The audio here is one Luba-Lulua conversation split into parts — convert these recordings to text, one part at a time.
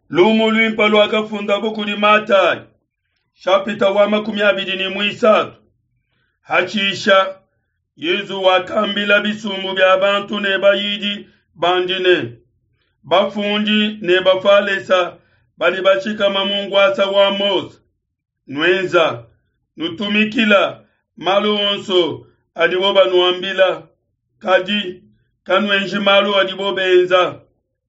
Lumu luimpe luakafundabo kudi Matayi, shapita wa 23. Hatshisha Yezu wakambila bisumbu bia bantu ne bayidi bandi ne, Bafundi ne Bafalesa badi bashikama mu nkuasa wa Mose. Nuenza, nutumikila malu onso adibo banuambila, kadi kanuenji malu adibo benza,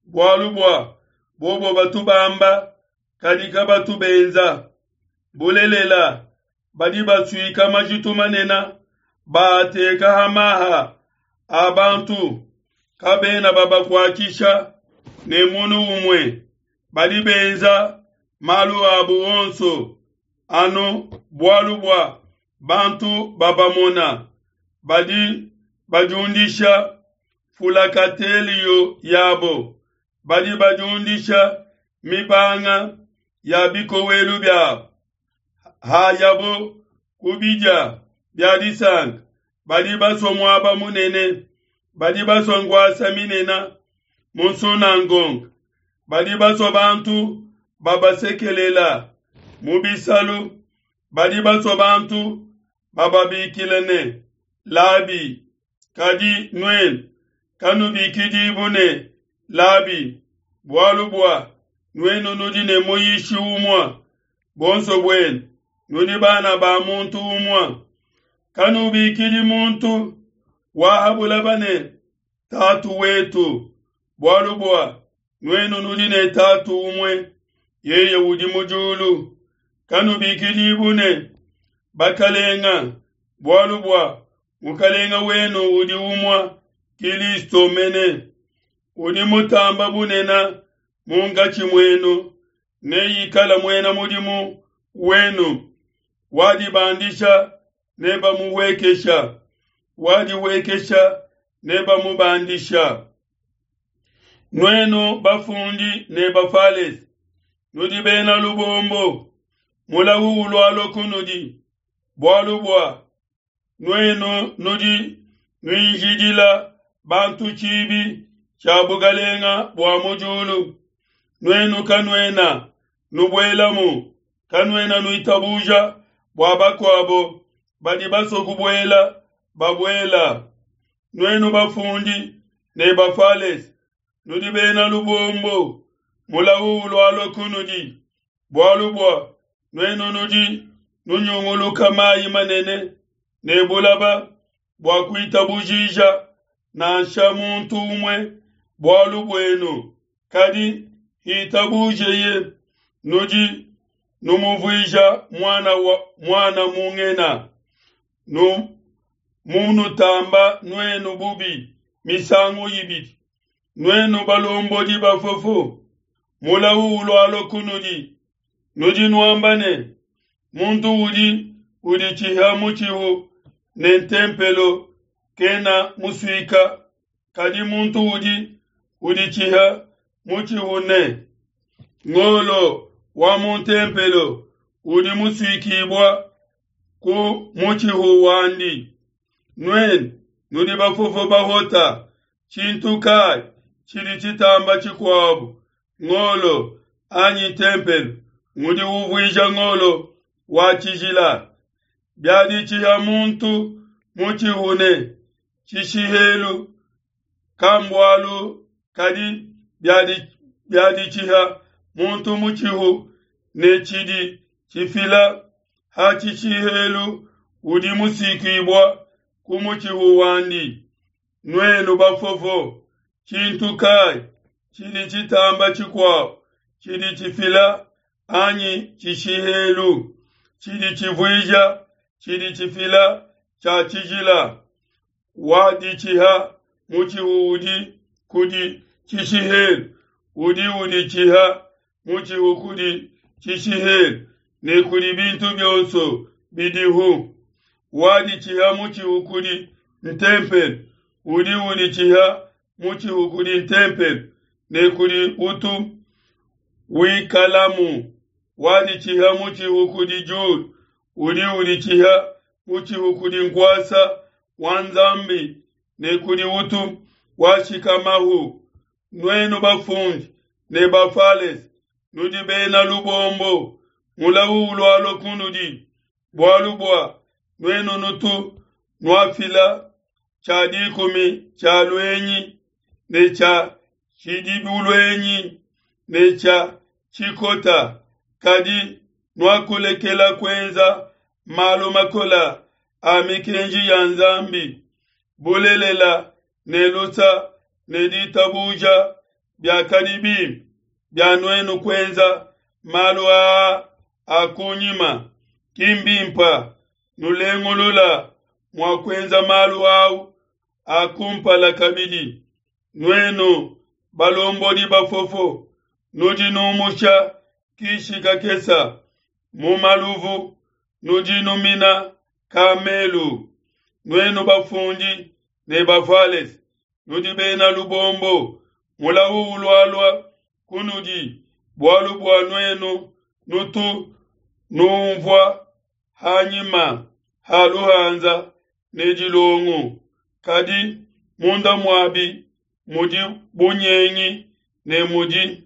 bualu bua bobo batu bamba, kadi kabatu benza. Bulelela, badi basuika majitu manene, baateka ha maha a bantu, kabena babakuatshisha ne munu umue. Badi benza malu abu onso anu bualu bua bantu babamona. Badi badiundisha fulakatelio yabo, badi badiundisha mibanga ya bikowelu biabo. Hayabo ku bidia bia disanka, badi basua muaba munene, badi basua nkuasa minene mu nsunangonga, badi basua bantu babasekelela mu bisalu, badi basua bantu bababikila ne, Labi. Kadi nuenu kanubikidibu ne, Labi, bualu bua nuenu nudi ne muyishi umue, buonso buenu nudi bana ba muntu umue. Kanubikidi muntu wa ha bulaba ne, Tatu wetu, bualu bua nuenu nudi ne Tatu umue, yeye udi mu diulu. Kanubikidibu ne, Bakalenga, bualu bua Mukalenga wenu udi umue, Kilisto mene. Udi mutamba bunene munkatshi muenu neikale muena mudimu wenu. Wadibandisha nebamuhuekesha, wadihuekesha nebamubandisha. Nuenu bafundi ne Bafalese, nudi bena lubombo, mulau ulualua kunudi, bualu bua nuenu nudi nuinjidila bantu tshibi tshia bukalenga bua mu diulu. Nuenu kanuena nubuelamu, kanuena nuitabuja bua bakuabo badi basue kubuela babuela. Nuenu bafundi ne Bafalese, nudi bena lubombo, mulau ulualua kunudi, bualu bua nuenu nudi nunyunguluka mayi manene ne bulaba bua kuitabujija nansha muntu umue bualu buenu, kadi hitabujeye, nudi numuvuija muana wa muana mungena, nu munutamba nuenu bubi misangu ibidi. Nuenu balombodi bafofo, mulau ulualua kunudi. Nudi nuamba ne, muntu udi uditshiha mutshihu ne ntempelo kena musuika, kadi muntu udi uditshiha mutshihu ne ngolo wa mu ntempelo udi musuikibua ku mutshihu wandi. Nuenu nudi bafofo bahota, tshintu kai tshidi tshitamba tshikuabu, ngolo anyi ntempelo ngudi uvuija ngolo wa tshijila? Biaditshiha muntu mutshihu ne tshishihelu, kambualu, kadi biaditshiha muntu mutshihu ne tshidi tshifila ha tshishihelu, udi musuikibua ku mutshihu wandi. Nuenu bafofo, tshintu kai tshidi tshitamba tshikuabu, tshidi tshifila anyi tshishihelu, tshidi tshivuija tshidi tshifila tshia tshijila? Waditshiha mutshihu udi kudi tshishihelu, udi uditshiha mutshihu kudi tshishihelu ne kudi bintu bionso bidihu. Waditshiha mutshihu kudi ntempelo, udi uditshiha mutshihu kudi ntempelo ne kudi utu wikalamu. Waditshiha mutshihu kudi diulu, udi uditshiha mutshihu kudi nkuasa wa Nzambi ne kudi utu washikamahu. Nuenu bafundi ne Bafalese, nudi bena lubombo, mulawu ulualua kunudi, bualu bua nuenu nutu nuafila tshia dikumi tshia luenyi ne tshia tshidibuluenyi ne tshia tshikota, kadi nuakulekela kuenza malu makola a mikenji ya Nzambi, bulelela ne lusa ne ditabuja biakadi bimpe bia nuenu kuenza malu aa a kunyima, ki mbimpe nulengulula mua kuenza malu au a kumpala kabidi. Nuenu balombodi bafofo, nudi numusha kishi kakesa mu maluvu, nudi numina kamelu. Nuenu bafundi ne Bafalese, nudi bena lubombo, mulawu ulualua kunudi, bualu bua nuenu nutu numvua hanyima ha luhanza ne dilongu, kadi munda muabi mudi bunyengi ne mudi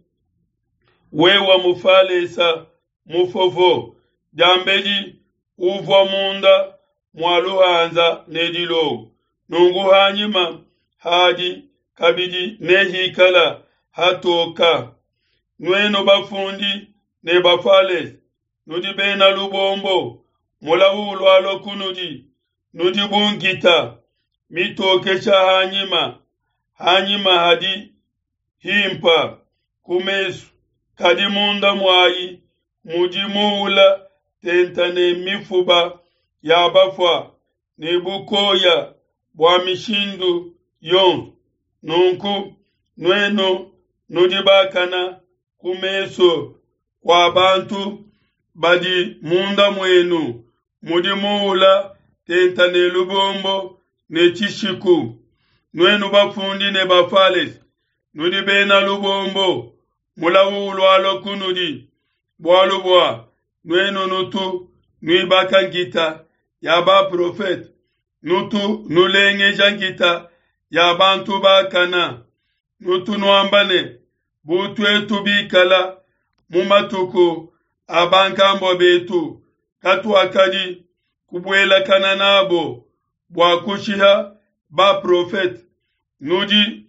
wewa mufalesa mufofo, diambedi uvua munda mua luhanza ne dilongu, nunku hanyima hadi kabidi nehikala hatoka. Nuenu bafundi ne Bafalese, nudi bena lubombo, mulawu ulualua kunudi, nudi bu nkita mitokesha hanyima, hanyima hadi himpa ku mesu, kadi munda muayi mudi muula tenta ne mifuba ya bafua ne bukoya bua mishindu yonso. Nunku nuenu nudi bakana ku mesu kua bantu badi munda muenu mudi muula tenta ne lubombo ne tshishiku. Nuenu bafundi ne Bafalese, nudi bena lubombo, mulawu ulualua kunudi, bualu bua nuenu nutu nuibaka nkita ya baprofete, nutu nulengeja nkita ya bantu bakana, nutu nuamba ne, bu tuetu bikala mu matuku a bankambua betu, katuakadi kubuelakana nabo bua kushiha baprofete. Nudi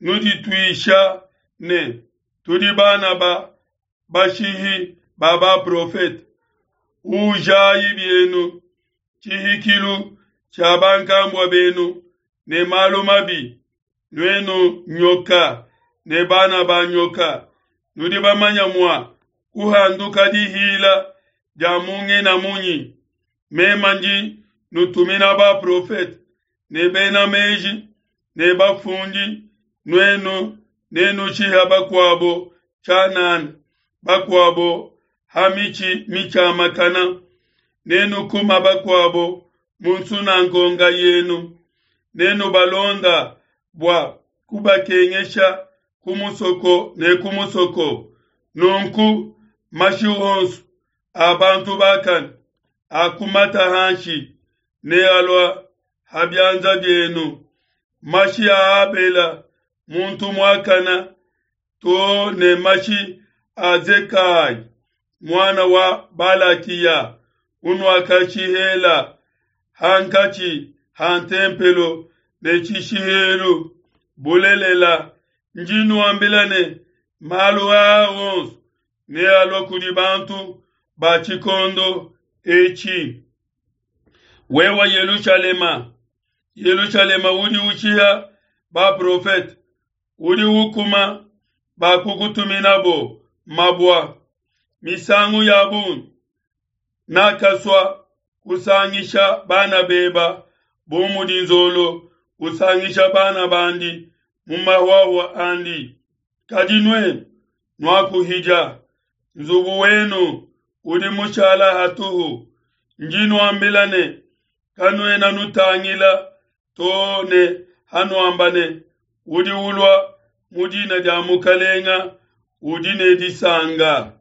nudituisha ne, tudi bana ba bashihi ba baprofete. Ujayi bienu tshihikilu tshia bankambua benu ne malu mabi, nuenu nyoka ne bana ba nyoka, nudi bamanya mua kuhanduka dihila dia mungena munyi? Mema ndi nutumina baprofete ne bena meji ne bafundi, nuenu nenushiha bakuabo tshianana, bakuabo ha mitshi mitshiamakana, nenukuma bakuabo mu nsunangonga yenu, nenubalonda bua kubakengesha ku musoko ne ku musoko. Nunku mashi onso a bantu bakane akumata hanshi ne alua ha bianza bienu, mashi a Abela muntu muakana to ne mashi a Zekayi muana wa Balakiya unuakashihela hankatshi ha ntempelo ne tshishihelu. Bulelela, ndi nuambila ne, malu aa onso nealua kudi bantu ba tshikondo etshi. Wewa Yelushalema, Yelushalema udi ushiha baprofete, udi ukuma bakukutuminabo mabua. Misangu ya bungi nakasua kusangisha bana beba bu mudi nzolo usangisha bana bandi mu mahuahua andi, kadi nuenu nuakuhidia. Nzubu wenu udi mushala hatuhu. Ndi nuambila ne, kanuena nutangila to ne hanuamba ne, udi ulua mu dina dia Mukalenga udi ne disanka.